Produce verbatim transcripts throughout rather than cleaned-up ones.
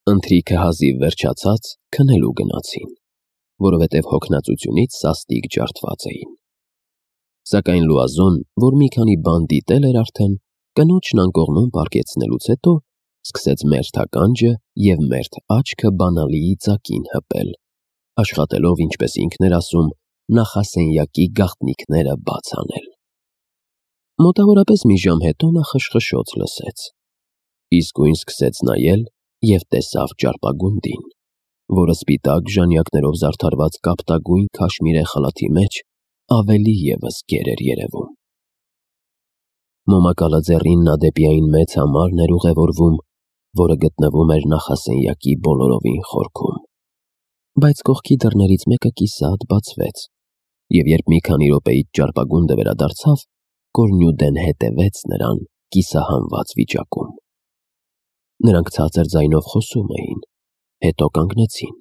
Ընթրիքը հազիվ վերջացած քնելու գնացին, որովհետև հոգնածությունից սաստիկ ջարդված էին։ Սակայն Լուազոն, որ մի քանի բան դիտել էր արդեն, կնոջն անկողնում պառկեցնելուց հետո սկսեց մերթ ականջը և մերթ աչքը բանալիի ծակին հպել, աշխատելով, ինչպես ինքն էր ասում, նախասենյակի գաղտնիքները բաց անել։ Մոտավորապես մի ժամ հետո նա խշխշոց լսեց, իսկույն սկսեց նայել և տեսավ ճարպագունդին, որը սպիտակ ժանյակներով զարդարված կապտագույն քաշմիրե խալաթի մեջ ավելի ևս գեր էր երևում։ Մոմակալը ձեռին նա դեպի այն մեծ համարն էր ուղևորվում, որը գտնվում էր նախասենյակի բոլորովին խորքում, բայց կողքի դռներից մեկը կիսատ բացվեց, և երբ մի քանի րոպեից ճարպագունդը վերադարձավ, Կորնյուդեն հետևեց նրան կիսահանված վիճակում։ Նրանք ցածր ձայնով խոսում էին, հետո կանգնեցին։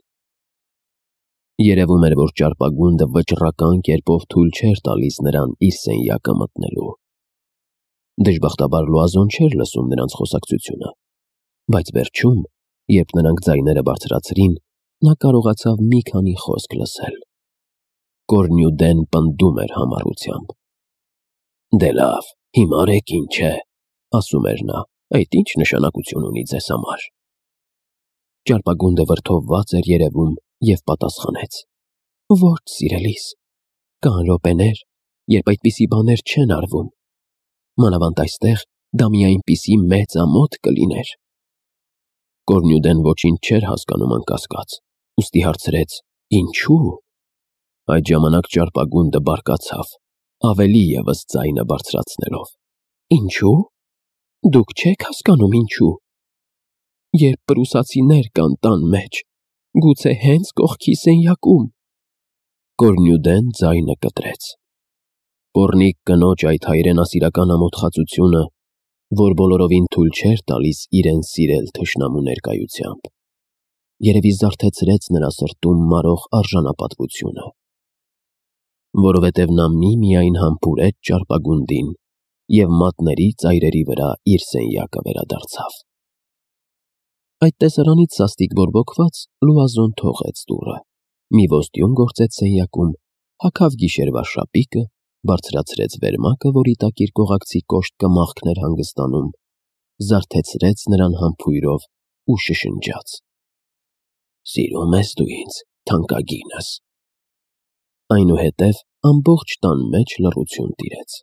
Երևում էր, որ ճարպագունդը վճռական կերպով թույլ չէր տալիս նրան իր սենյակը մտնելու։ Դժբախտաբար Լուազոն չէր լսում նրանց խոսակցությունը, բայց վերջում, երբ նրանք ձայները բարձրացրին, նա կարողացավ մի քանի խոսք լսել։ Կորնյուդեն պնդում էր համառությամբ. «Դե լավ, հիմա արեք ինչ է», ասում էր նա, «այդ ինչ նշանակություն ունի ձեզ համար»։ Ճարպագունդը վրդովված էր երևում և պատասխանեց. «Ոչ, սիրելիս, կան րոպեներ, երբ այդպիսի բաներ չեն արվում, մանավանդ այստեղ դա մի այնպիսի մեծ ամոթ կլիներ»։ Կորնյուդեն ոչինչ չէր հասկանում անկասկած, ուստի հարցրեց. «Ինչու՞»։ Այդ ժամանակ ճարպագունդը բարկացավ, ավելի ևս ձայնը բարձրացնելով. «Ինչու՞։ Դուք չեք հասկանում ինչու։ Երբ պրուսացիներ կան տան մեջ, գուցե հենց կողքի սենյակում»։ Կորնյուդեն ձայնը կտրեց։ Պոռնիկ կնոջ այդ հայրենասիրական ամոթխածությունը, որ բոլորովին թույլ չէր տալիս իրեն սիրել թշնամու ներկայությամբ, երևի զարթեցրեց նրա սրտում մարող արժանապատվությունը, որովհետև նա միմիայն համբուրեց ճարպագունդին և մատների ծայրերի վրա իր սենյակը վերադարձավ։ Այդ տեսարանից սաստիկ բորբոքված Լուազոն թողեց դուռը, մի ոստյուն գործեց սենյակում, հագավ գիշերվա շապիկը, բարձրացրեց վերմակը, որի տակ իր կողակցի կոշտ կմախքն էր հանգստանում, զարթեցրեց նրան համբույրով ու շշնջաց. «Սիրո՞ւմ ես դու ինձ, թանկագինս»։ Այնուհետև ամբողջ տան մեջ լռություն տիրեց,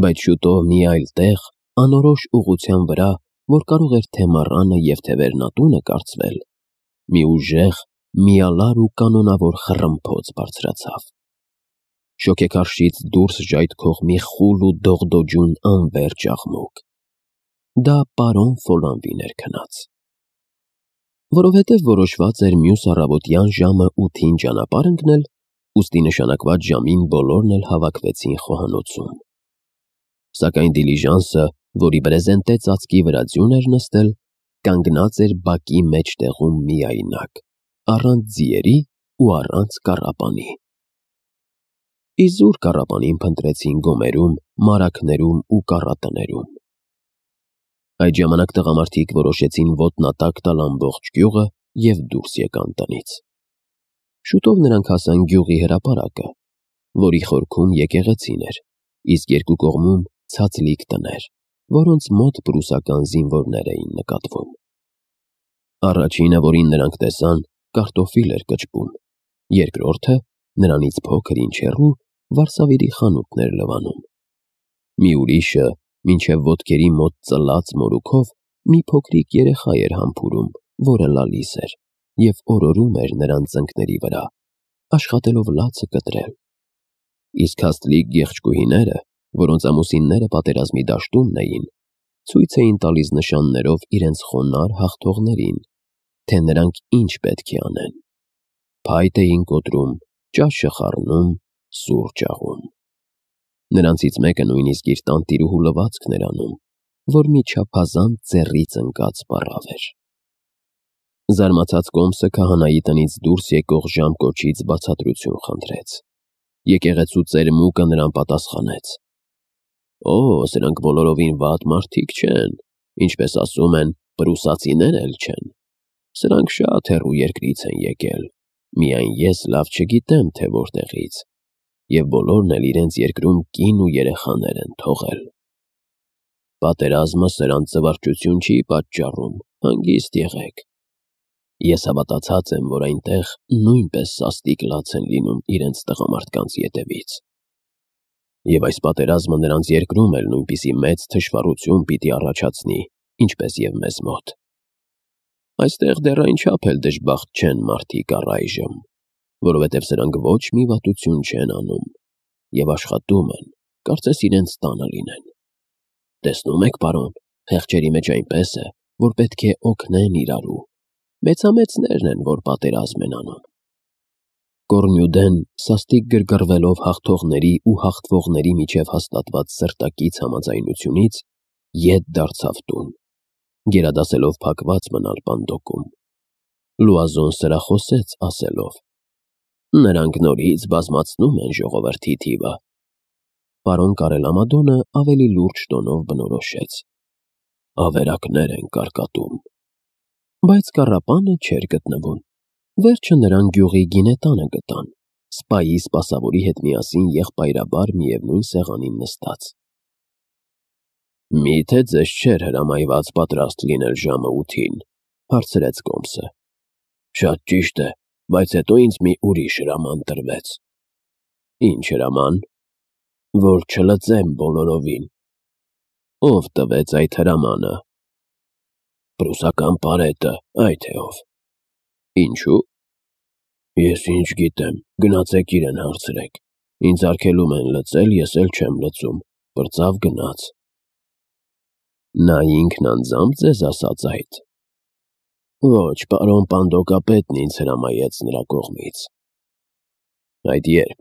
բայց շուտով մի այլ տեղ, անորոշ ուղղության վրա, որ կարող էր թե մառանը և թե վերնատունը կարծվել, մի ուժեղ, միալար ու կանոնավոր խռմփոց բարձրացավ։ Շոգեքարշից դուրս ժայթքող մի խուլ ու դողդոջուն անվերջ աղմուկ։ Դա պարոն Ֆոլանվին էր քնած։ Որովհետև որոշված էր մյուս առավոտյան ժամը ութին ճանապարհ ընկնել, ուստի նշանակված ժամին բոլորն էլ հավաքվեցին խոհանոցում։ Սակայն դիլիժանսը, որի բրեզենտե ծածկի վրա ձյուն էր նստել, կանգնած էր բակի մեջտեղում միայնակ, առանց ձիերի ու առանց կառապանի։ Իզուր կառապանին փնտրեցին գոմերում, մարագներում ու կառատներում։ Այդ ժամանակ տղամարդիկ որոշեցին ոտնատակ տալ ամբողջ գյուղը և դուրս եկան տնից։ Շուտով նրանք հասան գյուղի հրապարակը, որի խորքում եկեղեցին էր, իսկ երկու կողմում ցածլիկ տներ, որոնց մոտ պրուսական զինվորներ էին նկատվում։ Առաջինը, որին նրանք տեսան, կարտոֆիլ էր կճպում, երկրորդը, նրանից փոքր ինչ հեռու, վարսավիրի խանութն էր լվանում։ Մի ուրիշը, մինչև ոտքերի մոտ ծլած մորուքով, մի փոքրիկ երեխա էր համբուրում, որը լալիս էր և օրորում էր նրանց ծնկների վրա, աշխատելով լացը կտրել։ Իսկ հաստլիկ գեղչկուհիները, որոնց ամուսինները պատերազմի դաշտումն էին, ցույց էին տալիս նշաններով իրենց խոնարհ հաղթողներին, թե նրանք ինչ պետք է անեն։ Փայտ էին կոտրում, ճաշը խառնում, սուրճ աղում։ Նրանցից մեկը նույնիսկ իր տանտիրուհու լվացքն էր անում, որ մի չափազանց ձեռից ընկած պառավ էր։ Զարմացած կոմսը քահանայի տնից դուրս եկող ժամկոչից բացատրություն խնդրեց։ Եկեղեցու ծերմուկը նրան պատասխանեց. «Օ, սրանք բոլորովին վատ մարդիկ չեն, ինչպես ասում են, պրուսացիներ էլ չեն»։ Սրանք շատ հեռու երկրից են եկել, միայն ես լավ չգիտեմ, թե որտեղից, և բոլորն էլ իրենց երկրում կին ու երեխաներ են թողել։ Պատերազմը սրանց զվարճություն չի պատճառում, հանգիստ եղեք։ Ես հավատացած եմ, որ այնտեղ նույնպես սաստիկ լաց են լինում իրենց տղամարդկանց ետևից։ Եվ այս պատերազմը նրանց երկրում էլ նույնպիսի մեծ թշվառություն պիտի առաջացնի, ինչպես և մեզ մոտ։ Այստեղ դեռ այնչափ էլ դժբախտ չեն մարդիկ առայժմ, որովհետև սրանք ոչ մի վատություն չեն անում և աշխատում են, կարծես իրենց տանը լինեն։ Տեսնում եք, պարոն, խեղճերի մեջ այնպես է, որ պետք է օգնեն իրարու, մեծամեծներն են, որ պատերազմ են անում։ Կոռնյուդեն, սաստիկ գրգռվելով հաղթողների ու հաղթվողների միջև հաստատված սրտակից համաձայնությունից, ետ դարձավ տուն, գերադասելով փակված մնալ պանդոկում։ Լուազոն սրախոսեց ասելով. «Նրանք նորից բազմացնում են ժողովրդի թիվը»։ Պարոն Կարելամադոնը ավելի լուրջ տոնով բնորոշեց. «Ավերակներ են կարկատում»։ Բայց կառապանը չէր գտնվում։ Վերջը նրան գյուղի գինետանը գտան, սպայի սպասավորի հետ միասին եղբայրաբար միևնույն սեղանին նստած։ «Մի՞թե ձեզ չէր հրամայված պատրաստ լինել ժամը ութին», հարցրեց Կոմսը։ «Շատ ճիշտ է, բայց հետո ինձ մի ուրիշ հրաման տրվեց»։ «Ինչ հրաման»։ «Որ չլծեմ բոլորովին»։ «Ով տվեց այդ հրամանը»։ «Պրուսական պարետը, այ թե ով»։ «Ինչու»։ «Ես ինչ գիտեմ, գնացեք իրեն հարցրեք, ինձ արգելում են լծել, ես էլ չեմ լծում, պրծավ գնաց»։ «Նա ինքն անձամբ ձեզ ասաց այդ»։ «Ոչ, պարոն պանդոկապետն ինձ հրամայեց նրա կողմից»։ «Այդ ե՞րբ»։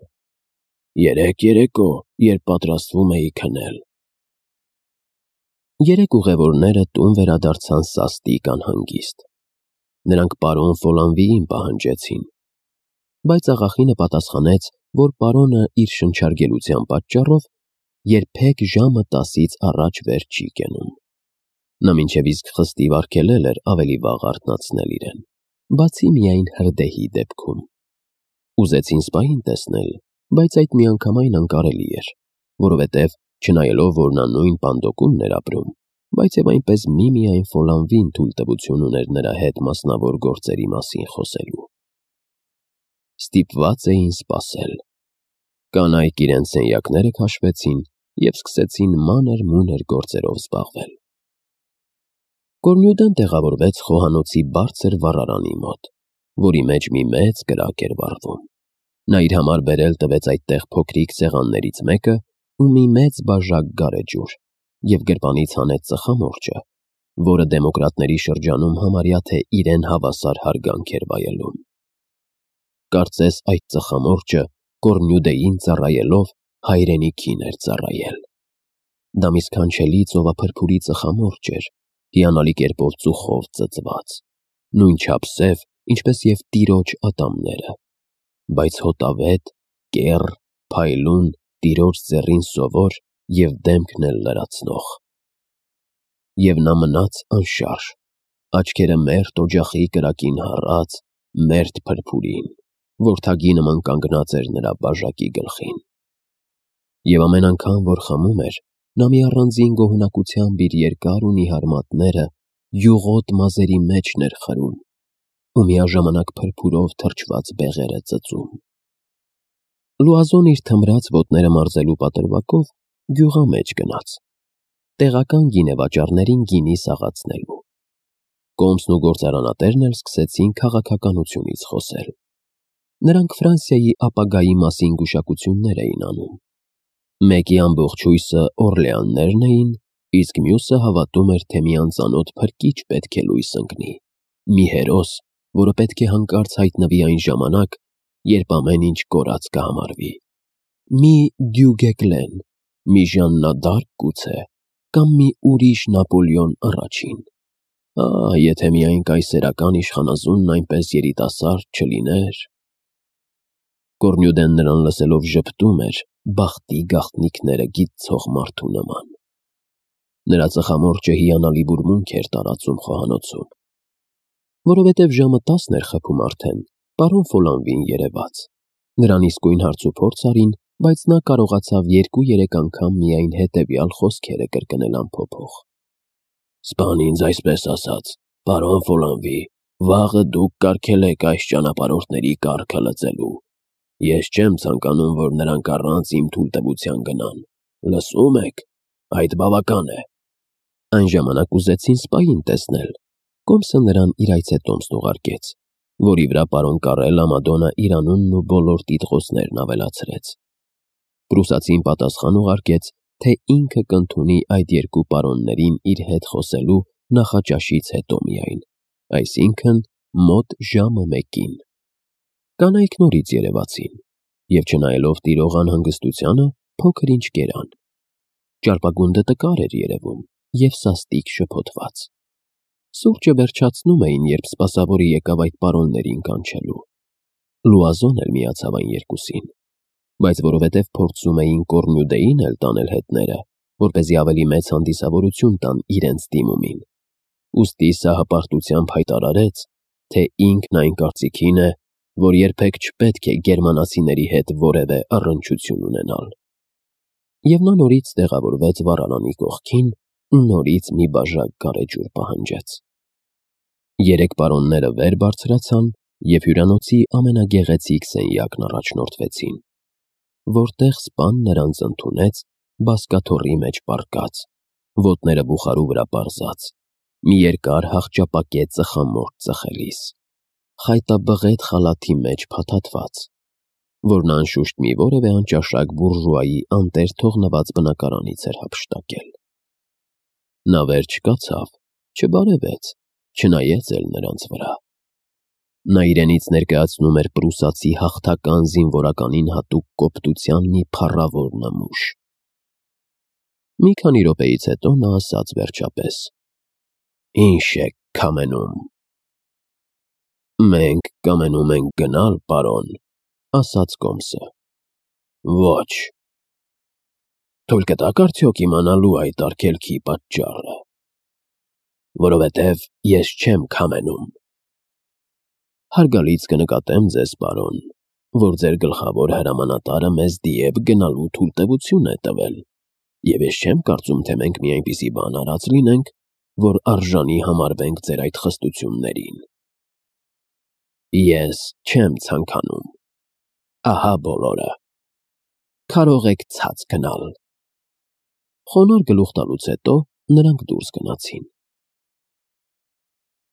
«Երեկ երեկո, երբ պատրաստվում էի քնել»։ Երեք ուղևորները տուն վերադարձան սաստիկ անհանգիստ։ Նրանք պարոն Ֆոլանվիին պահանջեցին, բայց աղախինը պատասխանեց, որ պարոնը իր շնչարգելության պատճառով երբեք ժամը տասից առաջ վեր չի կենում։ Նա մինչև իսկ խստիվ արգելել էր ավելի վաղ արթնացնել իրեն, բացի միայն հրդեհի դեպքում։ Ուզեցին սպային տեսնել, բայց այդ միանգամայն անկարելի էր, որովհետև չնայելով, որ նա նույն պանդոկումն էր ապրում, բայց և այնպես միմիայն Ֆոլանվին թույլտվություն ուներ նրա հետ մասնավոր գործերի մասին խոսելու։ Ստիպված էին սպասել։ Կանայք իրենց սենյակները քաշվեցին և սկսեցին մանր-մունր գործերով զբաղվել։ Կոռնյուդեն տեղավորվեց խոհանոցի բարձր վառարանի մոտ, որի մեջ մի մեծ կրակ էր վառվում։ Նա իր համար բերել տվեց այդտեղ փոքրիկ սեղաններից մեկը ու մի մեծ բաժակ գարեջուր և գրպանից հանեց ծխամորճը, որը դեմոկրատների շրջանում համարյա թե իրեն հավասար հարգանք էր վայելում։ Կարծես այդ ծխամորճը Կոռնյուդեին ծառայելով հայրենիքին էր ծառայել։ Դա մի սքանչելի ծովափրփուրի ծխամորճ էր, հիանալի կերպով ծուխով ծծված, նույնչափ սև, ինչպես և տիրոջ ատամները, բայց հոտավետ, կեռ, փայլուն, տիրոջ ձեռին սովոր և դեմքն էլ լրացնող։ Եվ նա մնաց անշարժ, աչքերը մերթ օջախի կրակին հառած, մերթ փրփուրին, որ թագի նման կանգնած էր նրա բաժակի գլխին։ Եվ ամեն անգամ, որ խմում էր, նա մի առանձին գոհունակությամբ իր երկար ու նիհար մատները յուղոտ մազերի մեջն էր խրում ու միաժամանակ փրփուրով թրջված բեղերը ծծում։ Լուազոն իր թմրած ոտները մարզելու պատրվակով գյուղամեջ գնաց, տեղական գինեվաճառներին գինի սաղացնելու։ Կոմսն ու գործարանատերն էլ սկսեցին քաղաքականությունից խոսել։ Նրանք Ֆրանսիայի ապագայի մասին գուշակություններ էին անում։ Մեկի ամբողջ հույսը Օրլեաններն էին, իսկ մյուսը հավատում էր, թե մի անծանոթ փրկիչ պետք է լույս ընկնի, մի հերոս, որը պետք է հանկարծ հայտնվի այն ժամանակ, երբ ամեն ինչ կորած կհամարվի։ Մի Դյուգեկլեն, մի Ժաննա դ'Արկ գուցե, կամ մի ուրիշ Նապոլեոն առաջին։ Ահ, եթե միայն կայսերական իշխանազունն այնպես երիտասարդ չլիներ։ Կոռնյուդեն նրան լսելով ժպտում էր բախտի գաղտնիքները գիտցող մարդու նման։ Նրա ծխամորճը հիանալի բուրմունք էր տարածում խոհանոցում։ որովհետև ժամը տասն էր խփում արդեն, պարոն Ֆոլանվին երևաց։ Նրան իսկույն հարցուփորձ արին, բայց նա կարողացավ երկու-երեք անգամ միայն հետևյալ խոսքերը կրկնել ամփոփող. «Սպան ինձ այսպես ասաց, պարոն Ֆոլանվի, վաղը դուք կարգել եք այս ճանապարհորդների կարգը լծելու։ Ես չեմ ցանկանում, որ նրանք առանց իմ թույլտվության գնան։ Լսում եք, այդ բավական է»։ Այն ժամանակ ուզեցին սպային տեսնել։ Կոմսը նրան իր այցետոմսն ուղարկեց, որի վրա պարոն Կարելլա Մադոննա իր անունն ու բոլոր տիտղոսներն ավելացրեց։ Պրուսացին պատասխան ուղարկեց, թե ինքը կընդունի այդ երկու պարոններին իր հետ խոսելու նախաճաշից հետո միայն, այսինքն մոտ ժամը մեկին։ Կանայք նորից երևացին, և չնայելով տիրող անհանգստությանը, փոքր-ինչ կերան։ Ճարպագունդը տկար էր երևում և սաստիկ շփոթված։ Սուրճը վերջացնում էին, երբ սպասավորը եկավ այդ պարոններին կանչելու։ Լուազոն էլ միացավ այն երկուսին, բայց որովհետև փորձում էին Կոռնյուդեին էլ տանել հետները, որպեսզի ավելի մեծ հանդիսավորություն տան իրենց դիմումին, ուստի սա հպարտությամբ հայտարարեց, թե ինքն այն կարծիքին է, որ երբեք չպետք է գերմանացիների հետ որևէ առնչություն ունենալ։ Եվ նա նորից տեղավորվեց վառարանի կողքին ու նորից մի բաժակ գարեջուր պահանջեց։ Երեք պարոնները վեր բարձրացան և հյուրանոցի ամենագեղեցիկ սենյակն առաջնորդվեցին, որտեղ սպան նրանց ընդունեց բազկաթոռի մեջ պառկած, ոտները բուխարու վրա պարզած, մի երկար հախճապակե ծխամորճ ծխելիս, խայտաբղետ խալաթի մեջ փաթաթված, որն անշուշտ մի որևէ անճաշակ բուրժուայի անտեր թողնված բնակարանից էր հափշտակել։ Նա վեր չկացավ, չբարևեց, չնայեց էլ նրանց վրա։ Նա իրենից ներկայացնում էր պրուսացի հաղթական զինվորականին հատուկ կոպտության մի փառավոր նմուշ։ Մի քանի րոպեից հետո նա ասաց վերջապես. «Ինչ եք կամենում»։ «Մենք կամենում ենք գնալ, պարոն», ասաց Կոմսը։ «Ոչ»։ «Թույլ կտաք արդյոք իմանալու այդ արգելքի պատճառը»։ «Որովհետև ես չեմ կամենում»։ «Հարգալից կնկատեմ ձեզ, պարոն, որ ձեր գլխավոր հրամանատարը մեզ դիև գնալու թույլտվություն է տվել, և ես չեմ կարծում, թե մենք մի այնպիսի բան արած լինենք, որ արժանի համարվենք ձեր այդ խստություններին»։ «Ես չեմ ցանկանում։ Ահա բոլորը։ Կարող եք ցած գնալ»։ Խոնարհ գլուխ տալուց հետո նրանք դուրս գնացին։